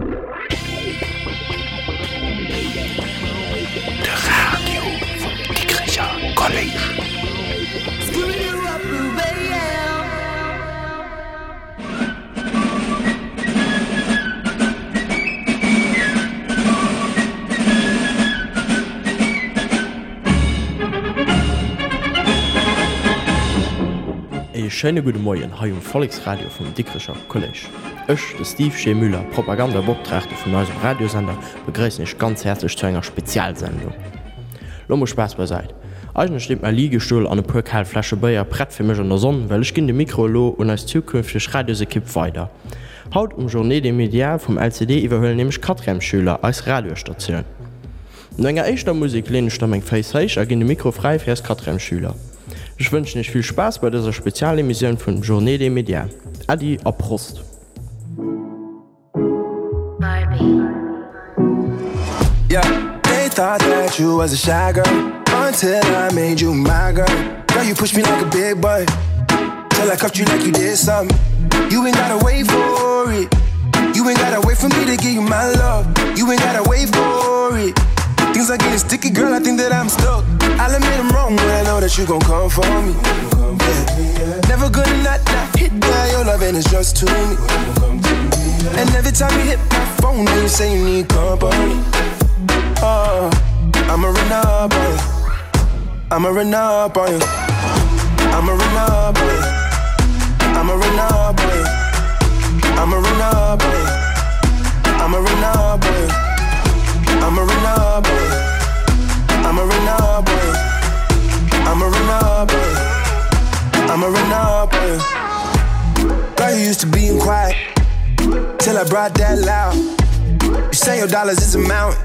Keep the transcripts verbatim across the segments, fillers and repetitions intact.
De Radio vum Dikrecher Kolléisch. Ee schéine gudde Moien hei um Volleksradio vum Dikrecher Kolléisch. Ech, de Steve G. Müller, Propagandabeoptraagte vun eisem Radiosender, begréissen iech ganz häerzlech zu enger Spezialsendung. Lo mol Spaass beisait. Eigentlech steet mäi Liegestull an e puer kal Fläsche Béier prett fir mech an der Sonn, well ech ginn de Mikro elo un eis zukünfteg Radiosekipp weider. Haut um Journée des Médias vum L C D iwwerhuelen nämlech Quatrièmesschüler eis Radiosstatioun. No enger éischter Musek leen ech da meng Féiss héich a ginn de Mikro fräi fir eis Quatrièmesschüler. Ech wënschen iech vill Spaass bei dëser Spezialemissioun vun Journée des Médias. Äddi a Prost! Yeah, they thought that you was a shy girl until I made you my girl. Girl, you pushed me like a big boy till I cuffed you like you did something. You ain't gotta wait for it. You ain't gotta wait for me to give you my love. You ain't gotta wait for it. Things are getting sticky, girl, I think that I'm stuck. I'll admit I'm wrong, but I know that you gon' come for me. Yeah. Never gonna not, not hit that. Your loving is just to me. And every time you hit my phone, you say you need company. Oh, I'ma run up on you. I'ma run up on you. I'ma run up on you. I'ma run up on you. I'ma run up on you. I'ma run up on you. I'ma run up on you. I'ma run up on you. I'ma run up on you. I'ma run up on you. Girl, you used to being quiet till I brought that loud. You say your dollars is a mountain,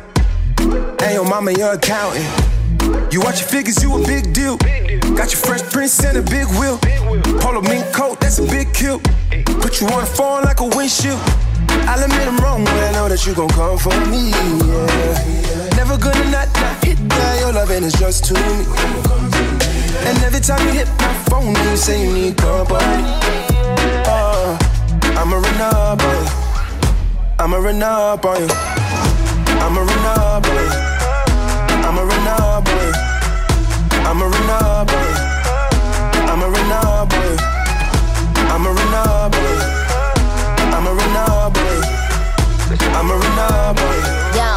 and your mama your accountant. You watch your figures, you a big deal. Got your fresh prince and a big wheel. Polo mink coat, that's a big kill. Put you on the phone like a windshield. I'll admit I'm wrong, but I know that you gon' come for me, yeah. Never gonna not, not hit that. Your loving is just to me. And every time you hit my phone, you say you need company. Oh, I'ma run up on you. I'ma run up on you. I'ma run up on you. I'ma run up on you. I'ma run up on you. I'ma run up on you. I'ma run up on you. I'ma run up on you. I'ma run up on you. Yo.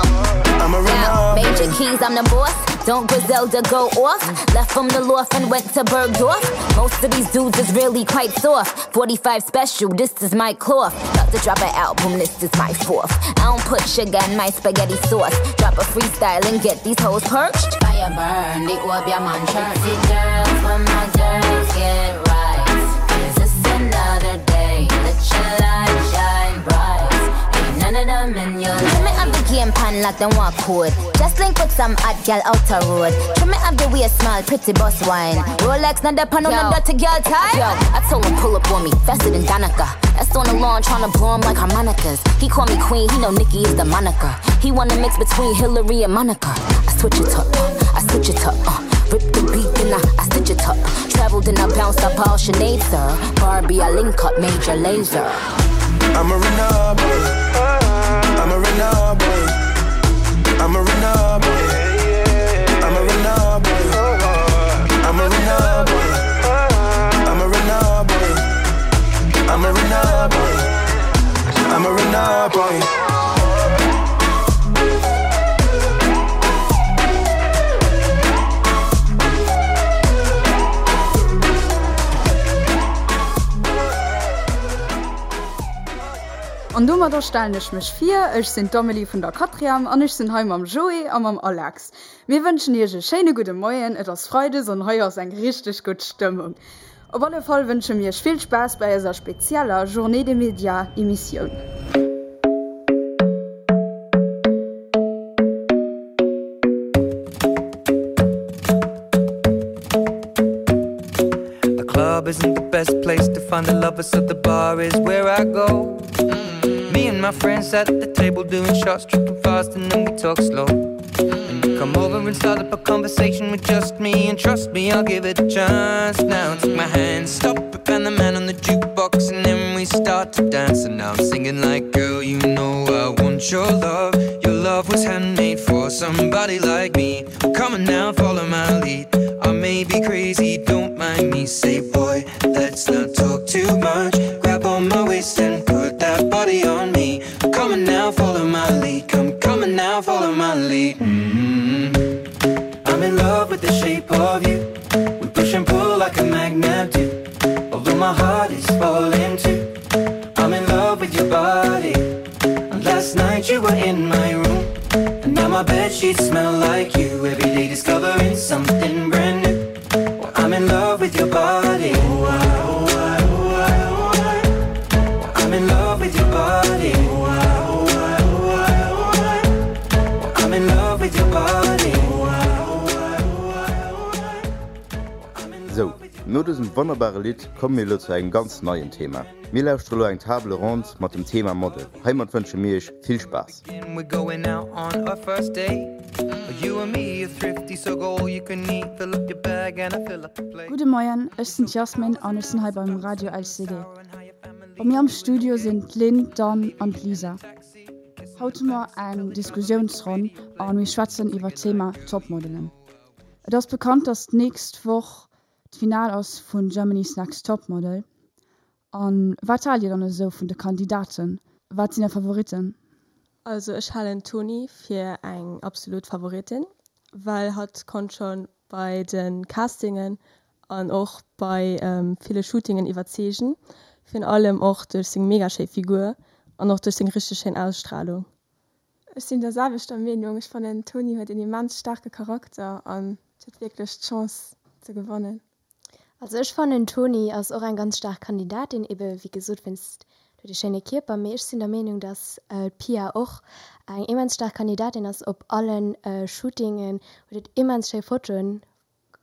I'ma run Yo, up on major you. keys, I'm the boss. Don't Griselda go off? Left from the loft and went to Bergdorf. Most of these dudes is really quite soft. forty-five special, this is my cloth. About to drop an album, this is my fourth. I don't put sugar in my spaghetti sauce. Drop a freestyle and get these hoes perched. Fire burn, they all be a man church. See girls when my girls get right. 'Cause it's another day, let your light shine bright. Ain't none of them in your life. Trim it up the game pan like them walk code. Just link with some hot gal out the road. Trim it up the waist small, pretty boss wine. Rolex, not the pan on the dirty girl tie. Yo, I told him pull up on me, faster than Danica. That's on the lawn tryna blow him like harmonicas. He call me queen, he know Nicki is the moniker. He wanna mix between Hillary and Monica. I switch it up, uh, I switch it up, uh. Rip the beat, then I, I stitch it up. Traveled and I bounced up all Sinead, sir. Barbie, I link up, Major Lazer. I'ma run up on you. I'ma run up on you. I'ma run up on you. I'ma run up on you. I'ma run up on you. I'ma run up on you. I'ma run up on you. I'ma run up on you. An domadder stellen ech mech vir, ech sinn d'Amelie vun der Quatrième an ech sinn hei mam Joé a mam Alex. Mir wënschen iech e schéine gudde Moien, et ass Freides an hei ass eng richteg gutt Stëmmung. Op alle Fall wënsche mir iech vill Spaass bei eiser spezieller Journée des Médias Emissioun. The club isn't the best place to find the lovers, so the bar is where I go. Me and my friends at the table doing shots, tripping fast, and then we talk slow. And you come over and start up a conversation with just me, and trust me, I'll give it a chance. Now take my hand, stop it, and the man on the jukebox, and then we start to dance. And now I'm singing like, girl, you know I want want your love. Your love was handmade for somebody like me. Come on now, follow my lead. I may be crazy, don't mind me. Say, boy, let's not talk too much. Grab on my waist and put that body on me. Come on now, follow my lead. Come, come on now, follow my lead. Mm -hmm. I'm in love with the shape of you. We push and pull like a magnet do. Although my heart is falling too. I'm in love with your body. And last night you were in my room. And now my bed sheets smell like you. Every day discovering something brand new. Well, I'm in love with your body. Oh, I, oh, I, oh, I, oh, I. Well, I'm in love with your body. Oh, I, oh, I, oh, I, oh, I. Well, I'm in love with your body. Oh, I, oh, I, oh, I, oh, I. Well, I'm in Sou, no dësem wonnerbare Lidd komme mir elo zu engem ganz neien Thema. Mir lauschtere lo eng Table Ronde mat dem Thema Model. Heimat wënsche mir iech vill Spaass. We're going out on our first date. You and me are thrifty, so go all you can eat. Fill up your bag and I fill up the plate. Gudde Moien, ech sinn d'Jasmin an ech sinn hei beim Radio LCD. Bei mir am Studio sinn d'Lynn, d'Anne an d'Lisa. Haut hu mer eng Diskussiounsronn a mir schwätzen iwwer d'Thema Topmodelen. Et ass bekannt, dass d'nächst Woch d'Final ass vun Germany's Next Topmodel. An wat haalt dir dann esou vun de Kandidaten? Wat sinn är Favoritten? Also ech halen d'Toni fir eng absolut Favoritin, well hatt konnt scho bei de Castingen an och bei ville Shootingen iwwerzeegen, virun allem och duerch seng mega schéi Figur an och duerch seng richteg schéin Ausstralung. Ech sinn der selwechter Meenung. Ech fannen d'Toni huet en immens staarke Charakter an huet wierklech d'Chance ze gewannen. Also ech fannen d'Toni ass och eng ganz staark Kandidatin, ebe wéi gesot wéinst de schéine Kierper, mee ech sinn der Meenung, dass d'Pia och eng immens staark Kandidatin ass, op allen Shootingen huet et immens schéi Fotoen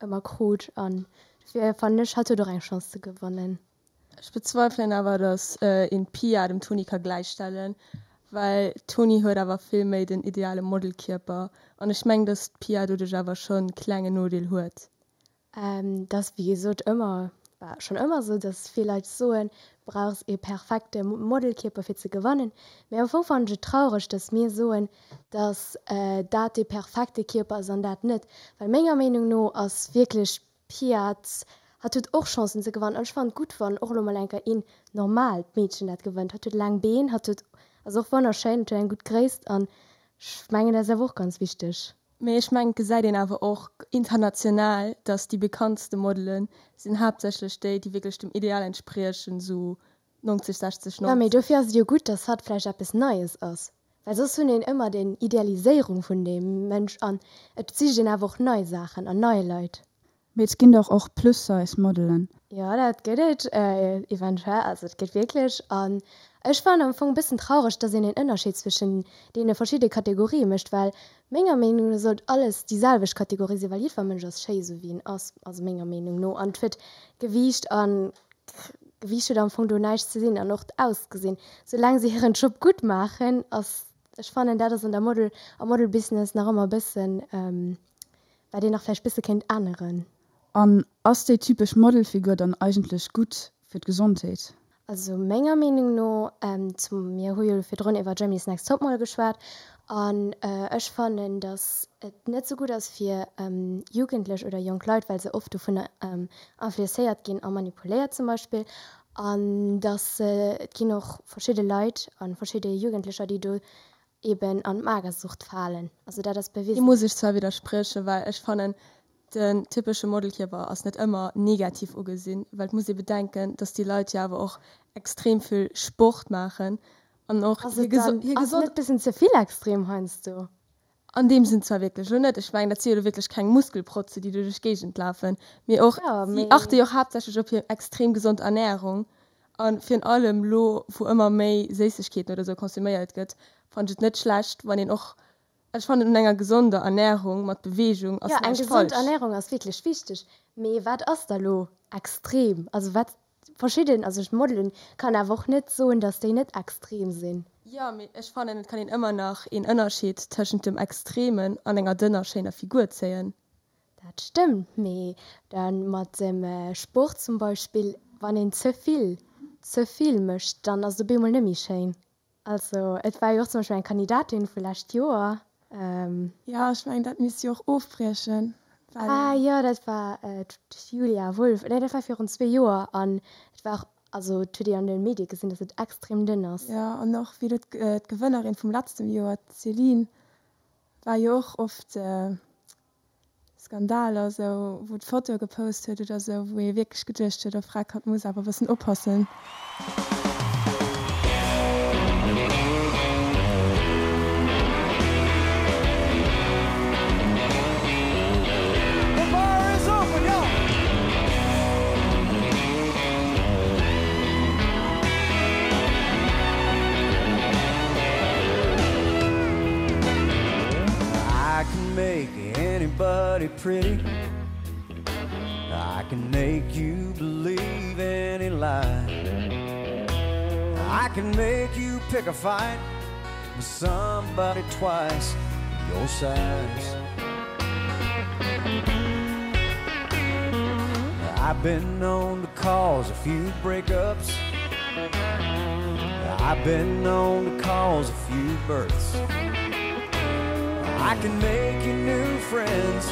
ëmmer krut an dofir fannen ech hatt huet och eng Chance ze gewannen. Ech bezweifelen awer, dass een d'Pia dem Toni ka gläichstellen, well d'Toni huet awer vill méi den ideale Modelkierper an ech mengen, dass d'Pia doduerch awer schonn klenge Nodeel huet. Et ass wéi gesot ëmmer, war schonn ëmmer esou, dass vill Leit soen, du brauchs ee perfekte Modelkierper fir ze gewannen. Mee am Fong fannen ech et traureg, dass mir soen, dass dat dee perfekte Kierper ass an dat net. Well menger Meenung no ass wierklech d'Pia, hatt huet och Chancen ze gewannen. An ech fannen et gutt, wann och elo mol eng Kéier een normaalt Meedchen dat gewënnt. Hatt huet laang Been, hatt huet, ass och wonnerschéin, huet eng gutt Gréisst an ech mengen dat ass awer och ganz wichteg. Mee ech mengen et gesäit een awer och international, dass déi bekanntste Modelen sinn haaptsächlech déi, déi wierklech dem Ideal entspriechen, sou neunzeg, sechzeg, Jo, mee neunzeg. dofir ass et jo gutt, dass hatt vläicht eppes Neies ass, well soss hunn een ëmmer den Idealiséierung vun deem Mënsch an et sicht een awer och nei Saachen an nei Leit. Mee et ginn dach och Plus-Size Modelen. Jo, dat gëtt et eventuell, also et gëtt wierklech. An ech fannen am Fong e bëssen traureg, dass een een Ënnerscheed zwëschen deene verschidde Kategorië mécht, well menger Meenung no sollt alles déi selwecht Kategorie sinn, well jiddwer Mënsch ass schéi esou wéi en ass, also menger Meenung no. An et huet Gewiicht an Gewiicht huet am Fong do näischt ze sinn an och d'Ausgesinn, soulaang se hiren Job gutt maachen, ass, ech fannen dat ass an der Model, am Modelbusiness nach ëmmer e bëssen, wat een nach vläicht bësse kéint änneren. An ass déi typesch Modelfigur dann eigentlech gutt fir d'Gesondheet? Also menger Meenung no, zum, mir hu jo virdrun iwwer Germany's Next Topmodel geschwat, an ech fannen, datt et net sou gutt ass fir Jugendlech oder jonk Leit, well se oft dovunner influencéiert ginn a manipuléiert zum Beispill, an datt et ginn och verschidde Leit a verschidde Jugendlecher, déi do eben an d'Magersucht falen. Also dat ass Deem bewisen. muss ech zwar widderspriechen, well ech fannen, den typesche Modelkierper ass net ëmmer negativ ugesinn, well et muss ee bedenken, dass déi Leit jo awer och extrem vill Sport maachen an och Ass hir et dann, hir ass et gesond. net bëssen ze vill extrem heiansdo? An deem Sënn zwar wierklech elo net, ech mengen, dat si jo elo wierklech keng Muskelprotze, déi do duerch d'Géigend lafen, mee och Jo, si mee. achte jo och haaptsächlech op hir extrem gesond Ernärung a virun allem elo, wou ëmmer méi Séissegkeeten oder sou konsuméiert gëtt, fannen ech et net schlecht, wann een och, ech fannen un enger gesonder Ernärung mat Beweegung Jo, ass eng näischt gesond falsch. Ernärung ass wierklech wichteg, mee wat ass da lo extrem? Also wat verschidden, also ech Modelen kann awer och net soen, dass déi net extrem sinn. Jo, mee ech fannen et kann een ëmmer nach een Ënnerscheed tëschent dem Extremen an enger dënner schéiner Figur zéien. Dat stëmmt, mee dann mat dem Sport zum Beispill, wann een ze vill, ze vill mécht, dann ass et op eemol net méi schéin. Also et war jo och zum Beispill eng Kandidatin vu lescht Joer. Jo, ech mengen dat misst si och ofbriechen, well. Ah jo, dat war d'Julia Wulff. Nee, dat war virun zwee Joer an et war och, also et huet een an de Medie gesinn, datt et extrem dënn ass. Jo, an och wéi elo d'Gewënnerin vum letztem Joer, d'Céline, war jo och oft Skandaler esou, wou d'Fotoe gepost huet oder esou, wou ee wierklech geduecht huet, oh freck, hatt muss awer e bëssen oppassen. The bar is open, y'all! I can make anybody pretty. I can make you believe any lie. I can make you pick a fight with somebody twice your size. I've been known to cause a few breakups. I've been known to cause a few births. I can make you new friends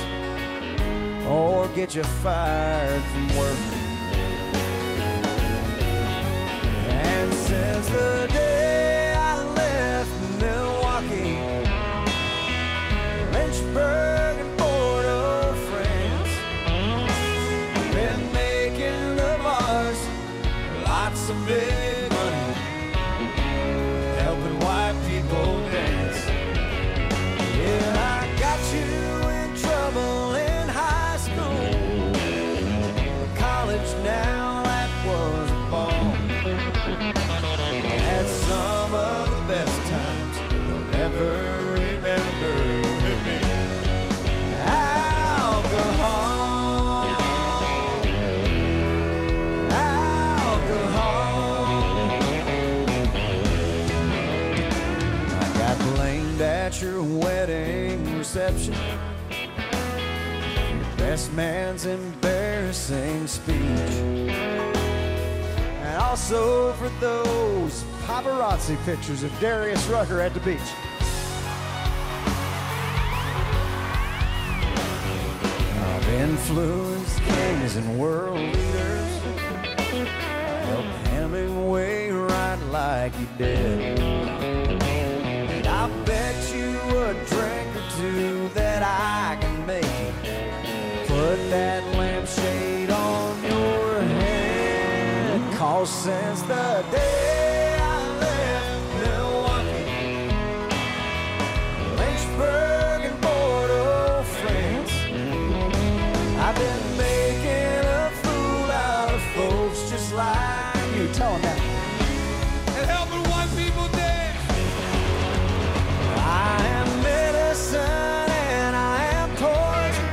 or get you fired from work. And since the day I left Milwaukee, Lynchburg and Port-au-Prince, been making the bars lots of big money, helping white people dance. Yeah, I got you in trouble in high school. College now, that was a ball. Had some of the best times you'll ever remember with me. Alcohol. Alcohol. I got blamed at your wedding reception. Your best man's embarrassing speech. And also for those paparazzi pictures of Darius Rucker at the beach. I've influenced kings and world leaders. Helped Hemingway write like he did. And I bet you a drink or two that I can make you put that lampshade on your head. Cause since the day I left Milwaukee, Lynchburg and Port-au-Prince, I've been making a fool out of folks just like you. Tell 'em that. And helping white people dance. I am medicine and I am poison.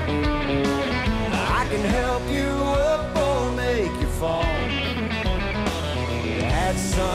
I can help you up or make you fall. Had some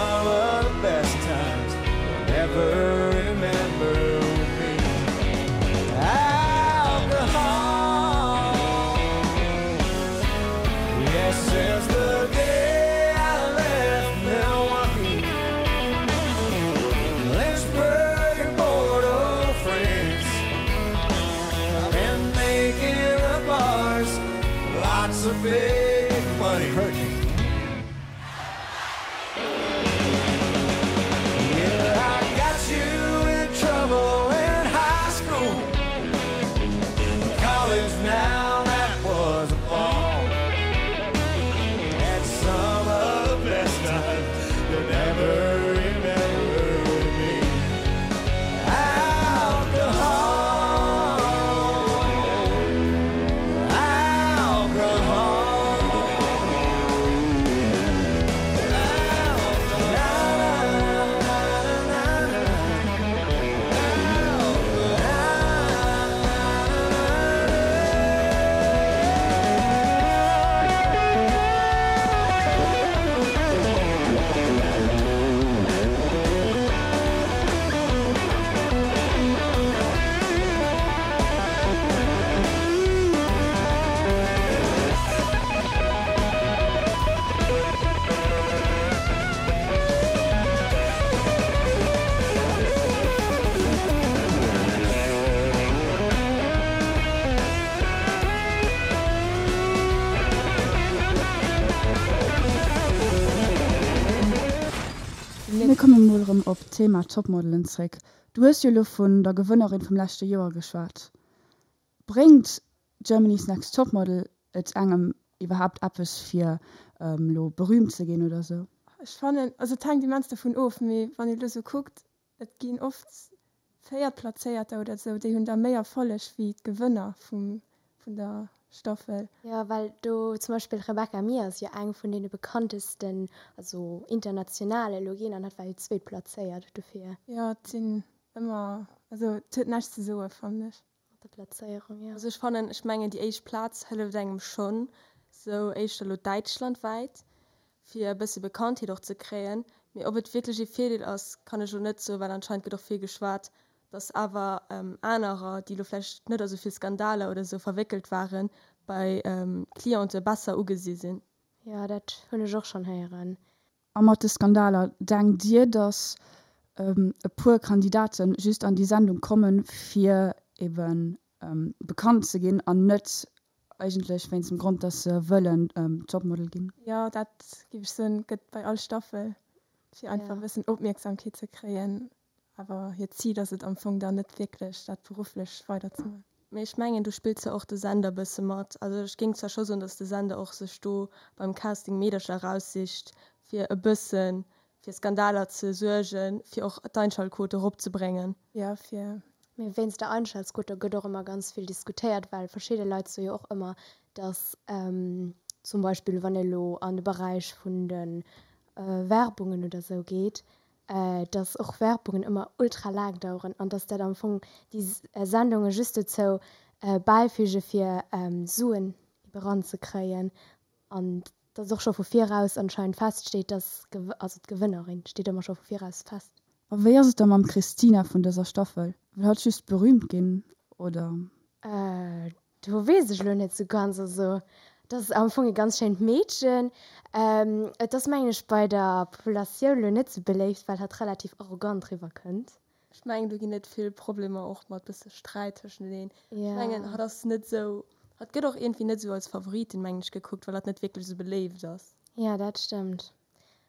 erëm op d'Thema Topmodelen zréck. Du hues jo elo vun der Gewënnerin vum leschte Joer geschwat. Bréngt Germany's Next Topmodel et engem iwwerhaapt eppes fir elo berüümt ze ginn oder sou? Ech fannen, also et hänkt immens dovun of, mee wann ee elo sou kuckt, et ginn oft Véiertplazéierter oder sou, déi hunn da méi Erfolleg wéi d'Gewënner vum vun der Staffel. Jo, well do zum Beispill d'Rebecca Mir ass jo eng vun deene bekanntesten, also international elo ginn, an hatt war jo Zweetplazéiert dofir. Jo, et sinn ëmmer, also et huet näischt ze soe fannen ech. Mat der Plazéierung, jo. Also ech fannen, ech mengen déi éischt Plaz hëlleft engem schonn, sou éischter elo däitschlandwäit, fir e bësse Bekanntheet och ze kréien. Mee ob et wierklech ee Virdeel ass, kann ech elo net soen, well anscheinend gëtt och vill geschwat, dass awer anerer, déi elo vläicht net a sou vill Skandaler oder sou verwéckelt waren, bei Clientë besser ugesi sinn. Jo, dat hunn ech och schonn héieren. A mat de Skandaler, denkt Dir, dass e puer Kandidate just an déi Sendung kommen, fir ebe bekannt ze ginn an net eigentlech wéinst dem Grond, dass se wëllen Topmodel ginn? Jo, dat géif ech soen, gëtt bei all Staffel, fir einfach e bëssen Opmierksamkeet ze kréien. Awer hiert Zil ass et am Fong dann net wierklech, dat berufflech weiderzemaachen. Mee ech mengen, do spillt zwar och de Sender e bësse mat. Also ech géing zwar scho soen, datt de Sender och sech do beim Casting Meedercher eraussicht, fir e bësse fir Skandaler ze suergen, fir och d'Einschaltquote eropzebréngen. Jo, fir. Mee wéinst der Einschaltquote gëtt och ëmmer ganz vill diskutéiert, well verschidde Leit soe jo och ëmmer, datt zum Beispill wann ee lo an de Beräich vun de Werbungen oder sou geet, dass och Werbungen ëmmer ultra laang daueren an dass dat am Fong déi Sendunge just dozou bäifüge fir Suen ebe ranzekréien an dass och scho vu viraus anscheinend feststeet, dass, also d'Gewënnerin steet ëmmer scho vu viraus fest. A wéi ass et da mam Christina vun dëser Staffel? Wëll hatt just berühmt ginn, oder? Do weess ech elo net sou ganz. Also et ass am Fong e ganz schéint Meedchen. Et ass mengen ech bei der Populatioun elo net sou beléift, well hatt relativ arrogant riwwer kënnt. Ech mengen do ginn et vill Problemer och mat bësse Sträit tëschenteneen. Ech mengen hatt ass net sou, hatt gëtt och iergendwéi net sou als Favoritin mengen ech gekuckt, well hatt net wierklech sou beléift ass. Jo dat stëmmt.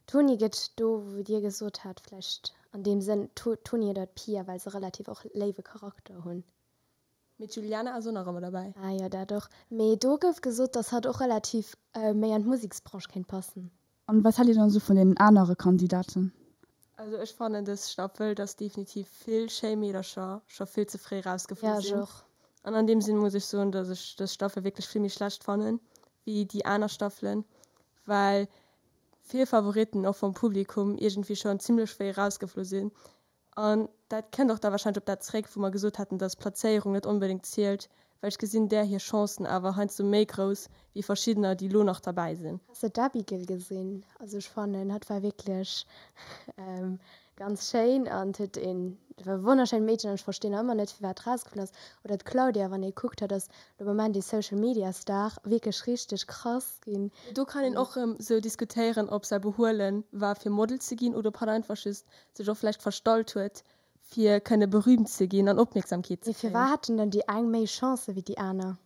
D'Toni gëtt do wou dir gesot hat vläicht an deem Sënn d'Toni oder d'Pia, well se relativ och léiwe Charakter hunn. Mee d'Juliana ass och nach ëmmer derbäi. Ah jo, dat och. Mee do gouf gesot, dass hatt och relativ méi an d'Museksbranche kéint passen. An wat haalt dir dann esou vun deenen anere Kandidaten? Also ech fannen dës Staffel, dass definitiv vill schéi Meedercher scho vill ze fréi rausgeflu Ja, ech sinn. och. An an deem Sinn muss ech soen, dass ech dës Staffel wierklech vill méi schlecht fannen wéi déi aner Staffelen, well vill Favoritten och vum Publikum iergendwéi schonn zimlech fréi rausgeflu sinn. An dat kënnt och da warscheinlech op dat zréck, wou mer gesot haten, dass d'Plazéierung net onbedéngt zielt, well ech gesinn där hir Chancen awer heiansdo méi grouss wéi verschiddener, déi elo nach derbäi sinn. Has de d'Abigail gesinn? Also ech fannen, hatt war wierklech ganz schéin an huet een, war e wonnerschéint Meedchen an ech verstinn nach ëmmer net, firwat rausgeflunn ass. Oder d'Claudia, wann ee kuckt, hatt ass de Moment ee Social Media Star, wierklech richteg krass ginn. Do kann een och erëm sou diskutéieren, ob säi Behuelen war fir Model ze ginn oder ob hatt einfach just sech och vläicht verstallt huet, fir kënne berüümt ze ginn an Opmierksamkeet ze Mee firwat kréien. haten dann déi eng méi Chancë wéi déi aner?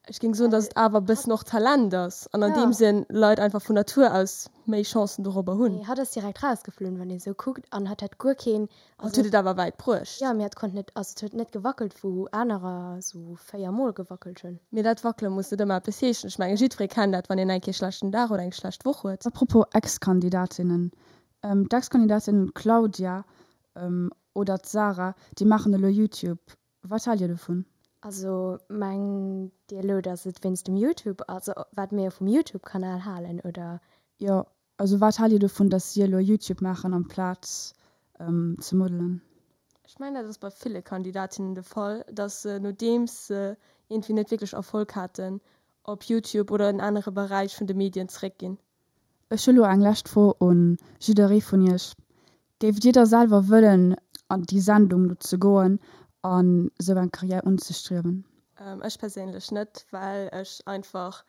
Ech géing soen, datt et awer e bëssen och Talent ass an an Ja. deem Sënn Leit einfach vun Natur aus méi Chancen dorobber hunn. Mee hatt ass direkt rausgeflunn, wann ee sou kuckt, an hatt hat guer keen, Hatt also huet et awer wäit bruecht. Jo, mee hatt konnt net, also et huet net gewackelt, wou anerer sou véier Mol gewackelt hunn. Mee dat Wackele muss net ëmmer eppes heeschen. Ech mengen, jiddweree kennt dat, wann een eng Kéier e schlechten Dag oder eng schlecht Woch huet. Apropos Ex-Kandidatinnen, D'Ex-Kandidatin Claudia oder d'Sarah, déi maachen elo Youtube. Wat haalt Dir dovun? Also mengt Dir elo, datt et wéinst dem Youtube, also wat mir vum Youtube-Kanal halen, oder? Jo, also wat haalt Dir dovun, datt si elo Youtube maachen amplaz ze modelen? Ech mengen, dat ass bei ville Kandidatinnen de Fall, datt se, nodeems se iergendwéi net wierklech Erfolg haten, op Youtube oder en anere Beräich vun de Medien zeréckginn. Ech hu lo eng lescht Fro un jidderee vun iech, Géift dir da selwer wëllen an déi Sendung do ze goen an esou eng Karriär unzestriewen? Ech perséinlech net, well ech einfach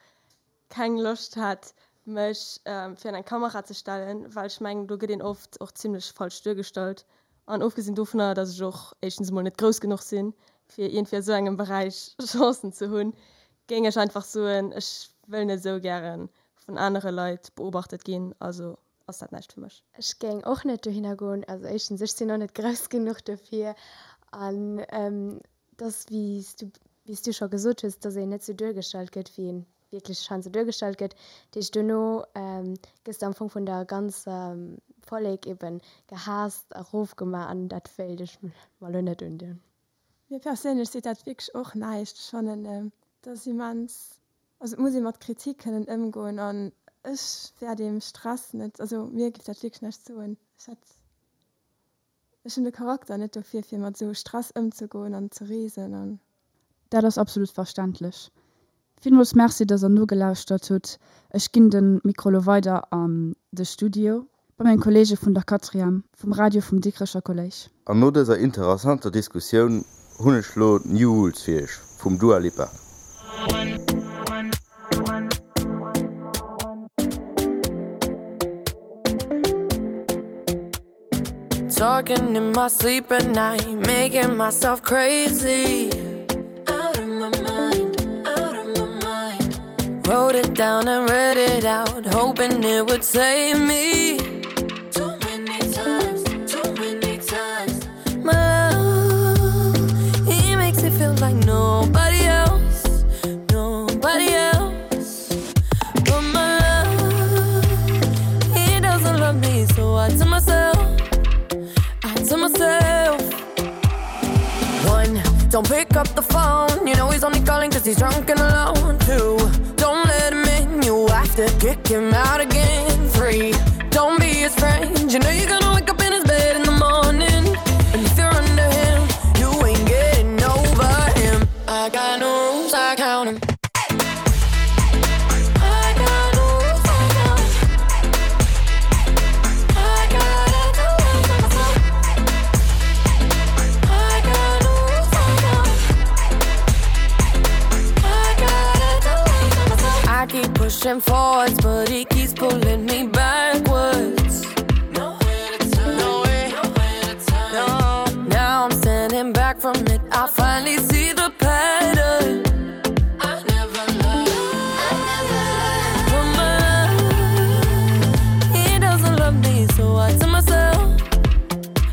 keng Loscht hätt mech fir an eng Kamera ze stellen, well ech mengen do gëtt een oft och zimlech falsch duergestallt an ofgesinn dovunner, datt ech och éischtens emol net grouss genuch sinn fir iergendwéi a sou engem Beräich Chancen ze hunn, géing ech einfach soen, ech wëll net esou gäre vun anere Leit beobachtet ginn, also ass dat näischt fir mech. Ech géing och net dohinner goen. Also éischtens, ech sinn och net grouss genuch dofir an dass, wéi s du, wéi s du scho gesot hues, dass een net sou duergestallt gëtt, wéi een wierklech scheinbar duergestallt gëtt. Dat heescht, dono gëss de am Fong vun der ganzer Vollek eben gehaasst a rofgemaach an dat wéilt ech mer elo net undinn. Mir perséinlech seet dat wierklech och näischt. Ech fannen, dat ass immens, also et muss ee mat Kritik kënnen ëmgoen an ech wär deem Stress net, also mir géif dat wierklech näischt soen. Ech hätt, ech hunn de Charakter net dofir, fir mat esou Stress ëmzegoen an ze reesen an. Dat ass absolut verständlech. Villmools Merci, dass der nogelauschtert hutt. Ech ginn de Mikro lo weider an de Studio bei meng Kolleege vun der Quatrième vum Radio vum Dikrecher Kolléisch. An no dëser interessanter Diskussioun hunn ech lo New Rules fir iech vum Dua Lipa. Talking in my sleep at night, making myself crazy. Out of my mind, out of my mind. Wrote it down and read it out, hoping it would save me. Too many times, too many times. My love, he makes it feel like nobody else, nobody else. But my love, he doesn't love me, so I tell myself, I tell myself. One, don't pick up the phone. You know he's only calling cause he's drunk and alone. Two, don't let him in. You have to kick him out again. Three, don't be his friend. You know you're gonna wake up in his bed in the morning. And if you're under him, you ain't getting over him. I got no rules, I count 'em. I got no rules, I count 'em. I gotta do it for myself. I got no rules, I count 'em. I gotta do it for myself. I keep pushing forwards, but he keeps pulling me backwards. Nowhere to turn, nowhere, nowhere to turn. No. Now I'm standing back from it. I finally see the pattern. I never learned. I never learned. But my love, he doesn't love me, so I tell myself.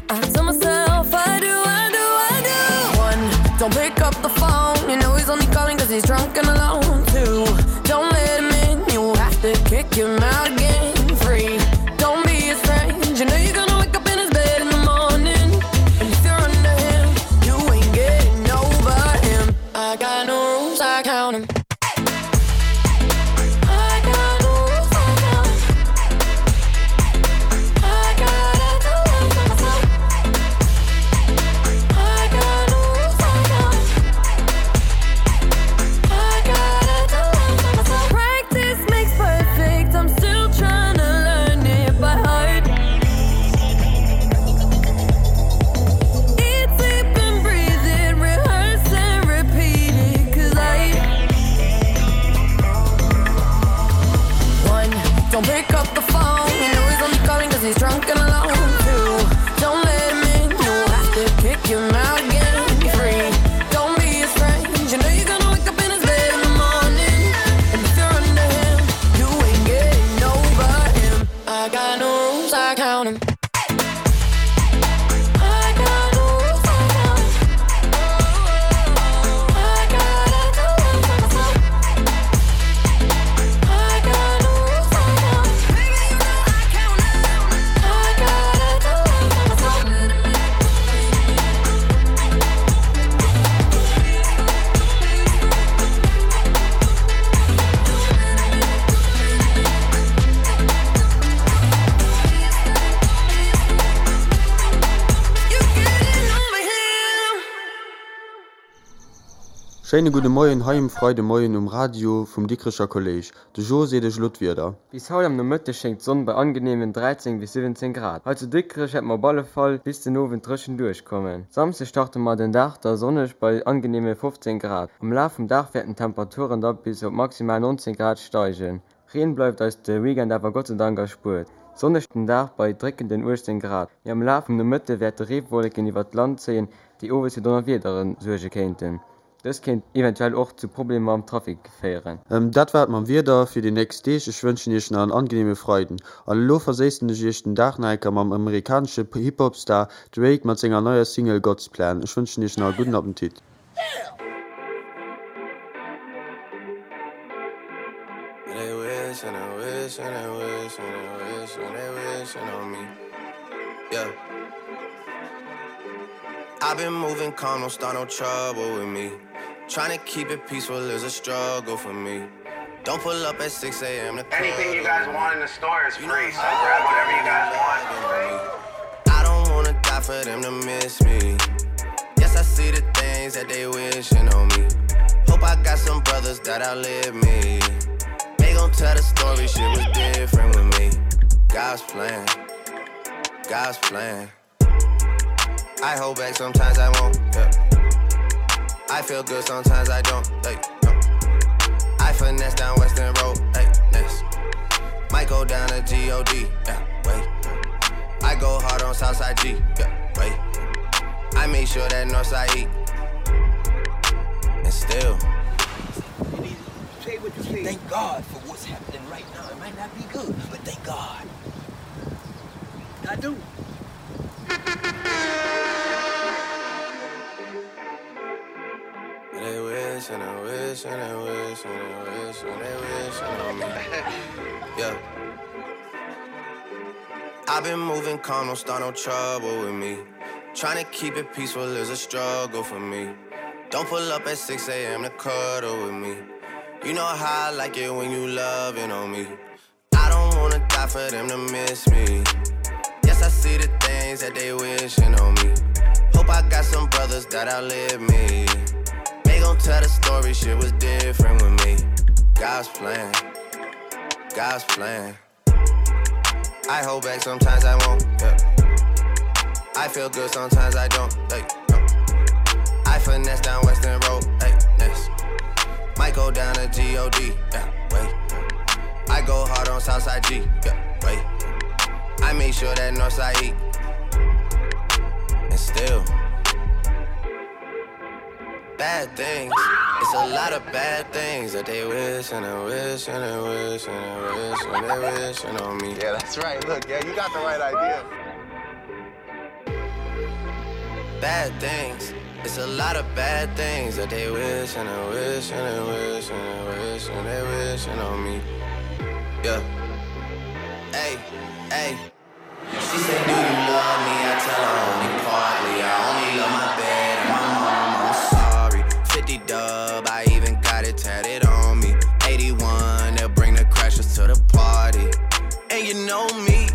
I tell myself I do, I do, I do. One, don't pick up the phone. You know he's only calling cause he's drunk and alone. Two, don't let him in. You have to kick him out again. Three, don't be his friend. You know you're gonna wake up in his bed in the morning. And if you're under him, you ain't getting over him. I got no rules, I count 'em. I got no rules, I count 'em. I gotta do it for myself. I got no rules, I count 'em. I gotta do it for myself. Practice makes perfect. I'm still trying to learn it by heart. Eat, sleep, and breathe it. Rehearse and repeat it. 'Cause I One, don't pick up the phone. You know he's only calling 'cause he's drunk and alone. Two, don't let him in. You have to kick him out again. Three, don't be his friend. You know you're gonna wake up in his bed in the morning. And if you're under him, you ain't getting over him. I got no rules, I count 'em. I got no rules, I count 'em. I gotta do it for myself. I got no rules, I count 'em. Baby, you know I count 'em. I gotta do it for myself. Schéine gudde Moien hei um Freidemoien um Radio vum Dikrecher Kolléisch. De Jo seet iech elo d'Wieder. Bis haut am Nomëtteg schéngt d'Sonn bei angeneemen dräizéng bis siwwenzéng Grad. Hei zu Dikrech wäerte mer op alle Fall bis den Owend dréchen duerchkommen. Samsde starte mer den Dag da sonneg bei angeneeme fofzéng Grad. Am Laf vum Dag wäerten d'Temperaturen da bis op maximal nonzéng Grad steigen. Reen bleift eis de Weekend awer gottseidank erspuert. Sonneg den Dag bei dréckenden uechtzéng Grad, mee am Laf vum Nomëtte wäerte Reewolleken iwwert d'Land zéien, déi owes fir Donnerwiedere suerge kéinten. Dëst kéint eventuell och zu Problemer am Trafic féieren. Dat war et mam Wieder fir déi nächst Deeg. Ech wënschen iech nach en angeneeme Freiden an elo verséissen ech iech den Dag nach eng Kéier mam amerikanesche Hip-Hop-Star Drake mat senger neier Single God's Plan. Ech wënschen iech nach e gudden Appetit. I've been moving calm, don't start no trouble with me. Trying to keep it peaceful is a struggle for me. Don't pull up at six A M to Anything you guys want in the store is free, so grab whatever you guys want. I don't wanna die for them to miss me. Yes, I see the things that they wishing on me. Hope I got some brothers that outlive me. They gon' tell the story, shit was different with me. God's plan, God's plan. I hold back, sometimes I won't, yeah. I feel good, sometimes I don't, like, no. I finesse down Western Road, hey, next. Might go down to G O D, yeah, wait. I go hard on Southside G, yeah, wait. I make sure that Northside E. And still. Say what you say. Thank God for what's happening right now. It might not be good, but thank God. I do. They wish and they wish and they wish and they wish and they wish on me. Yeah. I've been moving calm, don't start no trouble with me. Trying to keep it peaceful is a struggle for me. Don't pull up at six A M to cuddle with me. You know how I like it when you loving on me. I don't wanna die for them to miss me. Yes, I see the things that they wishing on me. Hope I got some brothers that outlive me. They gon' tell the story, shit was different with me. God's plan, God's plan. I hold back, sometimes I won't, yeah. I feel good, sometimes I don't, like, no. I finesse down Western Road, hey, next. Might go down to G O D, yeah, wait. I go hard on Southside G, yeah, wait. I make sure that Northside E. And still, bad things. It's a lot of bad things that they wish and they wish and they wish and they wish and they wishing on me. Yeah, that's right. Look, yeah, you got the right idea. Bad things. It's a lot of bad things that they wish and they wish and they wish and they wish and they wishing on me. Yeah. Hey, hey. She said, do you love me? I tell her only partly. I only love my bed and my mom. I'm sorry. fifty dub, I even got it tatted on me. eighty-one, they'll bring the crashers to the party. And you know me.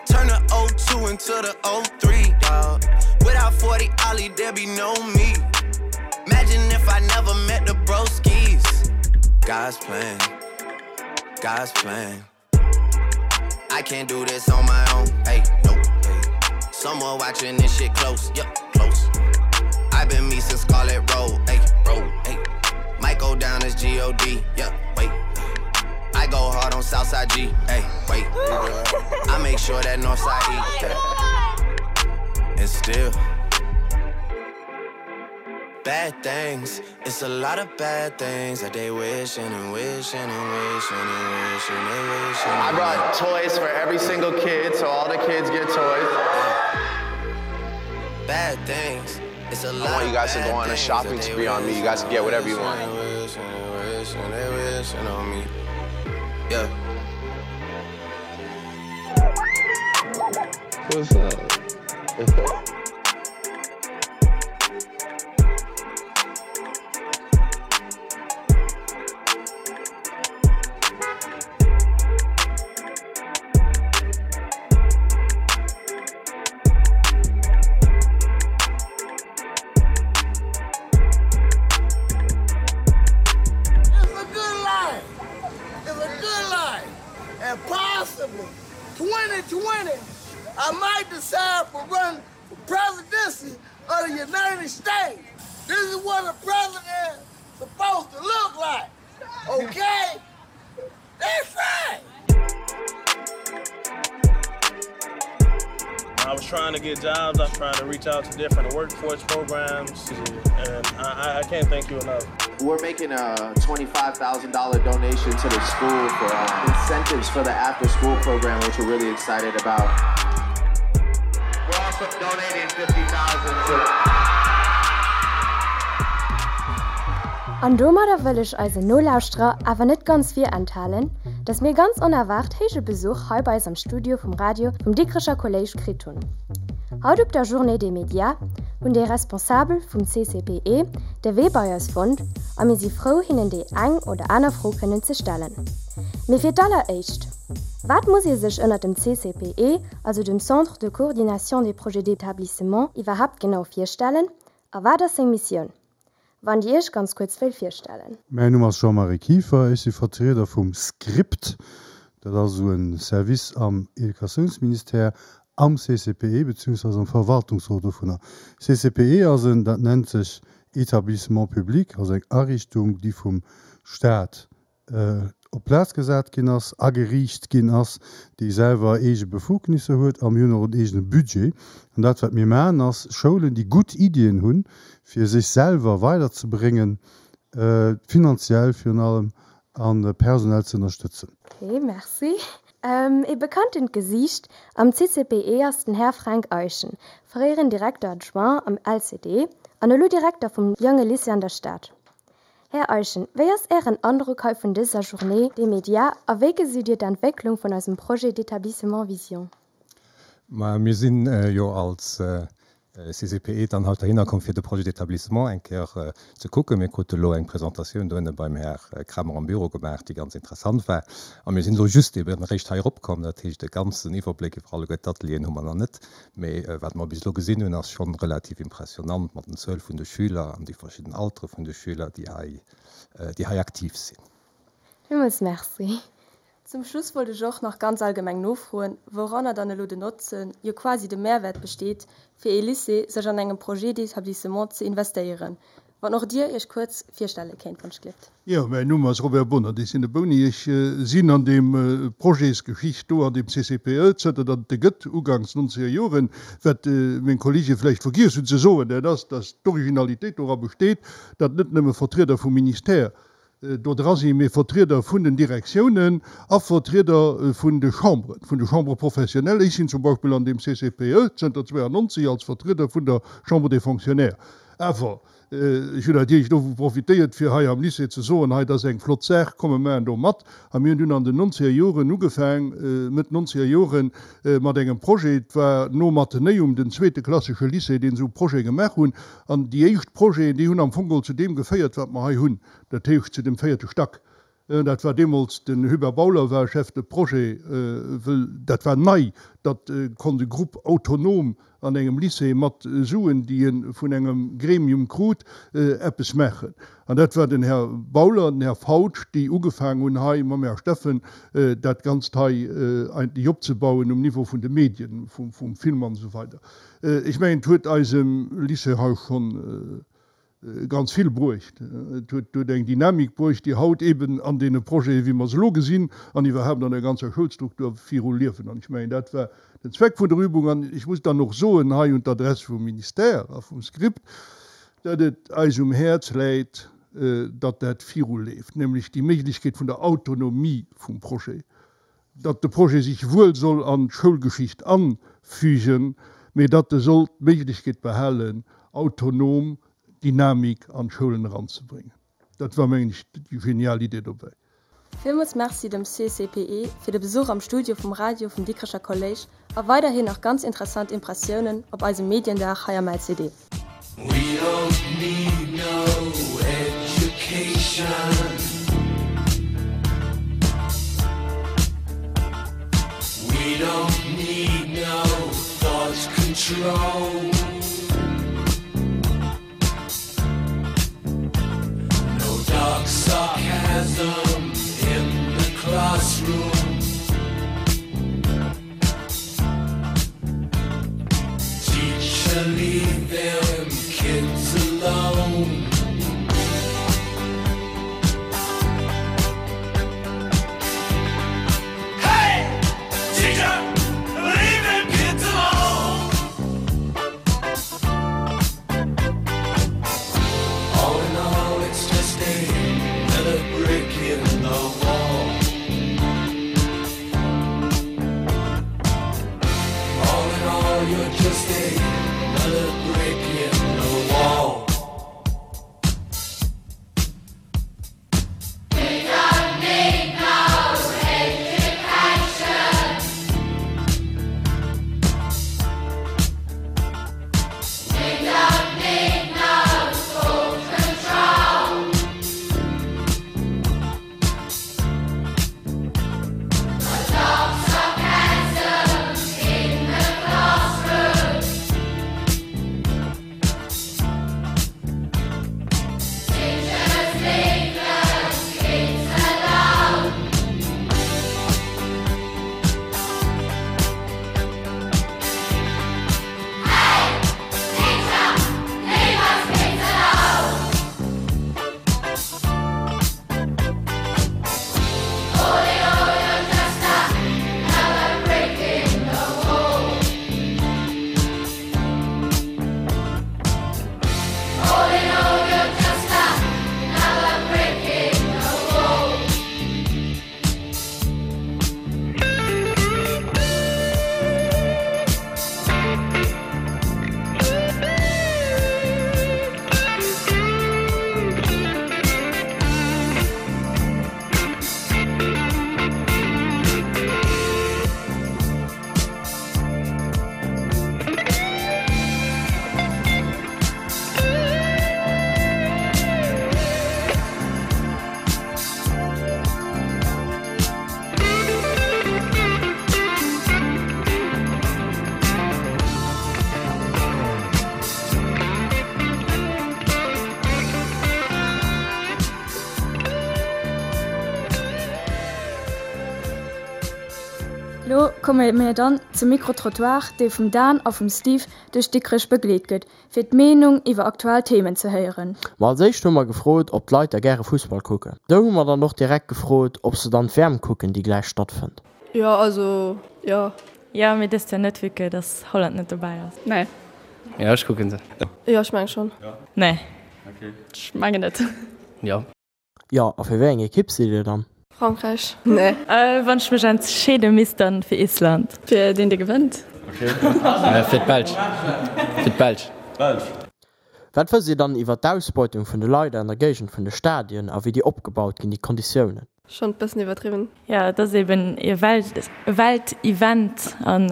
Turn the oh two into the oh three, dog. Without forty Ollie, there be no me. Imagine if I never met the broskies. God's plan, God's plan. I can't do this on my own, hey, nope. Hey. Someone watching this shit close, yup, close. I've been me since Scarlet Road, hey, road, hey. Might go down as G O D, yup, wait. I go hard on Southside G, hey, wait. I make sure that Northside E. And still, bad things. It's a lot of bad things that they wishing and wishing and wishing and wishing and wishing. I brought toys for every single kid, so all the kids get toys. Bad things. It's a I lot want you guys to go on a of shopping spree on me. You guys can get whatever you want. Wishing and wishing and wishing on me. Yeah. What's up? twenty twenty, I might decide to run for presidency of the United States. This is what a president is supposed to look like, okay? That's right. I was trying to get jobs, I was trying to reach out to different workforce programs, and I, I can't thank you enough. We're making a twenty-five thousand dollar donation to the school for, uh, incentives for the after-school program, which we're really excited about. We're also donating fifty thousand to An domadder wëll ech eisen Nolauschterer awer net ganz virenthalen, dass mir ganz onerwaart héije Besuch hei bei eis am Studio vum Radio vum Dikrecher Kolléisch kritt hunn. Haut op der Journée des Médias hunn déi Responsabel vum C C P E de Wee bei eis fonnt a mir si frou hinnen déi eng oder aner Fro kënnen ze stellen. Mee fir d'alleréischt, Wat muss ee sech ënnert dem C C P E, also dem Centre de Coordination des Projets d'établissement, iwwerhaapt genau virstellen a wat ass seng Missioun? Wann Dir Iech ganz kuerz wéilt virstellen. Mäin Numm ass Jean-Marie Kieffer, ech si Vertrieder vum Script, dat ass esou e Service am Educatiounsministère, am C C P E beziehungsweise am Verwaltungsrot dovunner. C C P E ass en, dat nennt sech Établissement public, also eng Ariichtung, déi vum Staat op d'Plaz gesat ginn ass, ageriicht ginn ass, déi selwer eege Befugnisser huet a mir hunn och en eegene Budget. An dat, wat mir maachen, ass, Schoulen, déi gutt Iddien hunn, fir sech selwer weiderzebréngen, finanziell virun allem a personell ze ënnerstëtzen. Ok, merci. Ee bekanntent Gesiicht am C C P E ass den Här Fränk Eyschen, fréieren Directeur adjoint am L C D an elo Direkter vum Jonge Lycée an der Stad. Här Eyschen, wéi ass Ären Androck hei vun dëser Journée des médias a wéi gesitt Dir d'Entwécklung vun eisem Projet d'établissement Vision? Ma mir sinn jo als C C P E dann haut dohinner komm, fir de Projet d'établissement eng Kéier ze kucken. Mir krute elo eng Presentatioun dohinne beim Här Kramer am Büro gemaach, déi ganz interessant war. A mir sinn elo just eben eréischt hei eropkomm. Dat heescht, e ganzen Iwwerbléck iwwer alleguer d'Atelieren hu mer nach net. Mee wat mer bis elo gesinn hunn, ass schonn relativ impressionant mat den Zuel vun de Schüler an déi verschidden Altere vun de Schüler, déi hei, déi hei aktiv sinn. Villmools Merci. Zum Schluss wollt ech och nach ganz allgemeng nofroen, wouranner dann elo den Notzen, jo quasi de Mehrwert besteet, fir ee Lycée sech an engem Projet d'établissement ze investéieren. Wann och Dir Iech kuerz virstelle kéint, wann ech Jo, mäin Numm ass Robert Bohnert, ech sinn de Bouni. Ech sinn an deem Projetsgeschicht do an deem C C P E, zënter datt et e gëtt, uganks nonzeger Joren. Wat meng Kollege vläicht vergiess hunn ze soen, dat ass, datt d'Originalitéit dora besteet, datt net nëmme Vertrieder vum Ministère do dra sinn, mee Vertrieder vun den Direktiounen a Vertrieder vun de Chambren, vun de Chambres professionnelles. Ech sinn zum Beispill an deem C C P E zënter zweiundneunzig als Vertrieder vun der Chambre des Fonctionnaires. Awer ech hunn natierlech dovu profitéiert, fir hei am Lycée ze soen, hei, dat ass eng flott Saach, komme mer do mat. A mir hunn dunn an den nonzeger Joren ugefaang, Mëtt nonzeger Joren, mat engem Projet. Et war nom Athenäum den zweete klassesche Lycée, deen esou Projet gemaach hunn. An déi éischt Projeten, déi hunn am Fong geholl zu deem geféiert, wat mer hei hunn, dat heescht zu dem véierte Stack. Dat war deemools den Hubert Bauler war Chef de Projet, wëll dat war nei, datt konnt e Grupp autonom an engem Lycée mat Suen, déi e vun engem Gremium krut, eppes maachen. An dat war den Här Bauler, den Här Fautsch, déi ugefaangen hunn hei mam Här Steffen dat Ganzt hei eigentlech opzebauen um Niveau vun de Medien, vum Film an esou weider. Ech mengen, et huet eisem Lycée hei schonn ganz vill bruecht. Et huet eng Dynamik bruecht, déi haut eben an deene Projeten, wéi mer se elo gesinn, an iwwerhaapt an der ganzer Schoulstruktur viru liewen. An ech mengen, dat war den Zweck vun der Übung. An ech muss dann och soen, hei un d'Adress vum Ministère a vum Script, datt et eis um Häerz läit, datt dat viruleeft, nämlech déi Méiglechkeet vun der Autonomie vum Projet, datt de Projet sech wuel soll an d'Schoulgeschicht anfügen, mee datt e soll d'Méiglechkeet behalen, autonom Dynamik an d'Schoulen eranzebréngen. Dat war, mengen ech, déi genial Idee dobäi. Villmools Merci dem C C P E fir de Besuch am Studio vum Radio vum Dikrecher Kolléisch a weiderhin nach ganz interessant Impressiounen op eisem Mediendag hei am L C D. We don't need no education. We don't need no thought control. No dark sarcasm in the classroom. Teacher, leave them kids alone. Hey, teacher, leave them kids alone. komme mir dann zum Micro-Trottoir, dee vum Dan a vum Steve duerch Dikrech begleet gëtt, fir d'Meenung iwwer aktuell Themen ze héieren. Ma als éischt hu mer gefrot, ob d'Leit da gäre Fussball kucken. Do hu mer dann och direkt gefrot, ob se dann d'WM kucken, déi gläich stattfënnt. Jo, also jo. Jo, mee dëst Joer net, vue que dass Holland net dobäi ass. Nee. Jo, ech kucken se. Jo, ech mengen schonn. Nee. Ech mengen net. Jo. Jo, a fir wéi eng Ekipp sidd Dir dann? Frankräich. Nee. Wann ech mech entscheede misst, dann fir Island. Fir deen dee gewënnt. Fir d'Belsch. Fir d'Belsch. Wat wësst Dir dann iwwer d'Ausbeutung vun de Leit an der Géigend vun de Stadien a wéi déi opgebaut ginn, déi Konditiounen? Schonn bëssen iwwerdriwwen. Jo, et ass eben e Welt, Weltevent an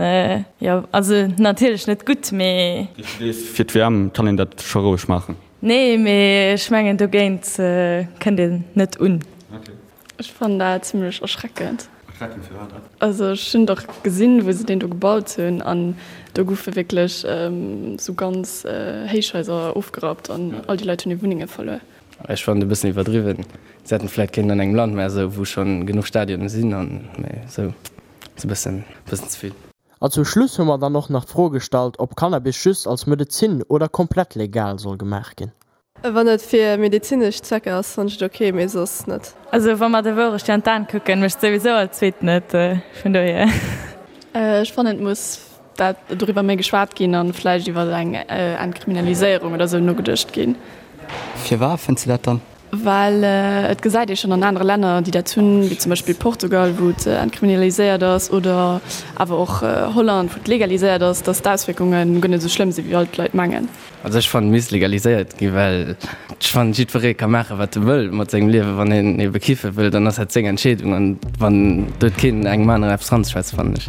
jo, also natierlech net gutt, mee. Fir d'WM kann een dat scho roueg maachen. Nee, mee ech mengen dogéint kënnt een net un. Ech fannen dat zimlech erschreckend. Erschreckend firwat dat? Also ech hunn dach gesinn wou se deen do gebaut hunn an do goufe wierklech sou ganz Héichhaiser ofgerappt an all déi Leit hunn hir Wunnenge verluer. Ech fannen et e bëssen iwwerdriwwen. Se hätten vläit kéinten an engem Land mä esou wou schonn genuch Stadionen sinn an mä esou ass e bëssen bëssen ze vill. A zum Schluss hu mer dann och nach d'Fro gestallt, ob Cannabis just als Medezin oder komplett legal soll gemaach ginn. Wann et fir medezinesch Zwecker ass, fannen ech et ok, mee soss net. Also wa mer der Wourecht an d'Aen kucken, mécht souwisou all Zweeten et, vun dohier. Ech fannen et muss dat doriwwer méi geschwat ginn an vläicht iwwer eng Entkriminaliséierung oder sou nogeduecht ginn. Firwat fënns de dat dann? Well et gesäit ee schonn an anere Länner, déi dat hunn, wéi zum Beispill Portugal, wou et entkriminaliséiert ass, oder awer och Holland, wou et legaliséiert ass, datt d'Auswierkunge guer net esou schlëmm sinn, wéi all d'Leit mengen. Also ech fannen, et misst legaliséiert ginn, well ech fannen, jiddweree ka maachen, wat e wëll mat sengem Liewen. Wann een ebe kiffe wëll, dann ass dat seng Entscheedung an wann do huet keen engem aneren eppes ranzeschwätzen, fannen ech.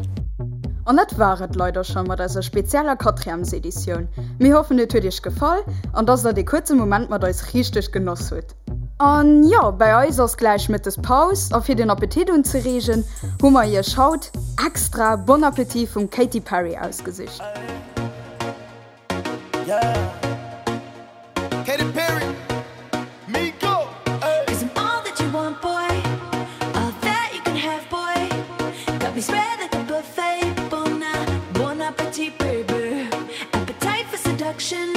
An dat war et leider scho mat eiser spezieller Quatrièmeseditioun. Mir hoffen et huet iech gefall an dass der dee kuerze Moment mat eis richteg genoss hutt. An jo, bei eis ass gläich mëttes Paus a fir den Appetit unzereegen, hu mer iech haut extra Bon Appétit vum Katy Perry ausgesicht. Katy Perry, Migo, ey. Cause I'm all that you want, boy. All that you can have, boy. Got me spread like a buffet. Bon, bon appetit, baby. Appetite for seduction.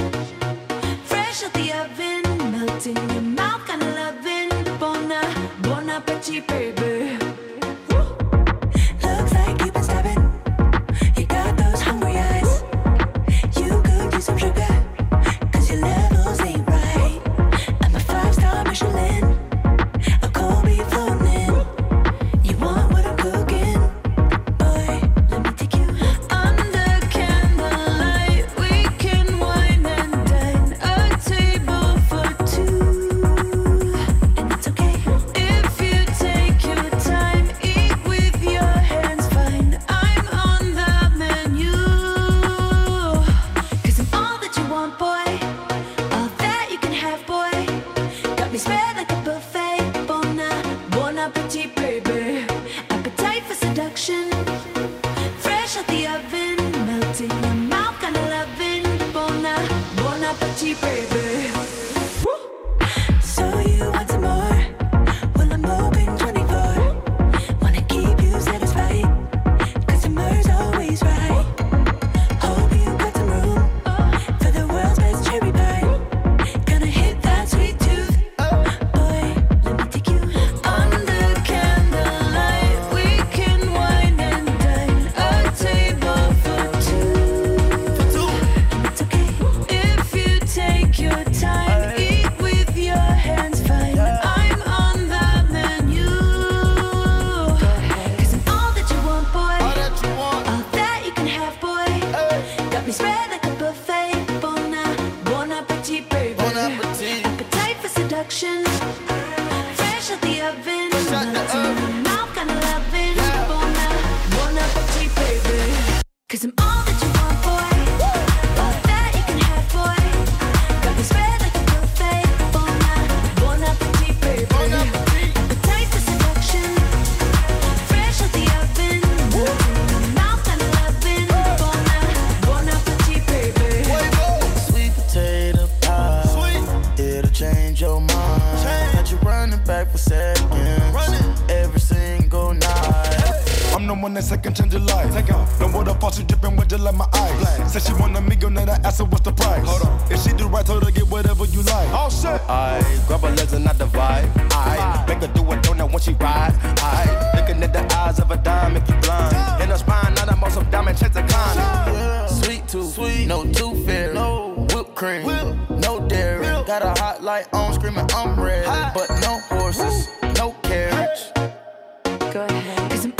Fresh out the oven. Melt in your mouth, kinda loving. Bon, bon appetit, baby. Looks like you've been stabbing. You got those hungry eyes. You could use some sugar. Cause your levels ain't right. I'm a five star Michelin. A cold be floating in. You want what I'm cooking? Boy, let me take you under candlelight. We can wine and dine. A table for two. And it's okay if you take your time. Eat with your hands fine. I'm on the menu. Cause I'm all that you want, boy. All that you can have, boy. Got me spread like a buffet. Bon, bon appetit, baby. Appetite for seduction. Fresh out the oven. Melt in your mouth, kinda loving. Bon, bon appetit, baby. So you want some more? Well, I'm open twenty-four. Wanna keep you satisfied. Customer's always right. Hope you got some room for the world's best cherry pie. Gonna hit that sweet tooth, boy. Let me take you under candlelight. We can wine and dine. A table for two. And it's okay if you take your time. Eat with your hands fine. I'm on the menu. Cause I'm all that you want, boy. All that you can have, boy. Got me spread like a buffet. Bon, bon appetit, baby. Appetite for seduction. Fresh out the oven. Melt in your mouth, kinda loving. Bon, bon appetit, baby. Cause I'm all that you want, boy. All that you can have, boy. Got me spread like a buffet. Bon, bon appetit, baby. Appetite for seduction. Fresh out the oven. Melt in your mouth, kinda loving. Bon, bon appetit, baby. Sweet potato pie. It'll change your mind. Got you running back for seconds. Every single night. I'm the one one that second change your life. Take off. No water faucet dripping with just like my eyes. Said she want a amigo, now I ask her what's the price. Hold on. If she do right, told her get whatever you like. All set. I grab her legs and I divide. I make her do a donut when she ride. I looking at the eyes of a dime, make you blind. In her spine, now I'm on some diamond checks a climb. Sweet tooth, sweet. no tooth fairy, no whipped cream, Whip. no dairy. Milk. Got a hot light on, screaming I'm ready, but no horses, no carriage. Go ahead. Cause I'm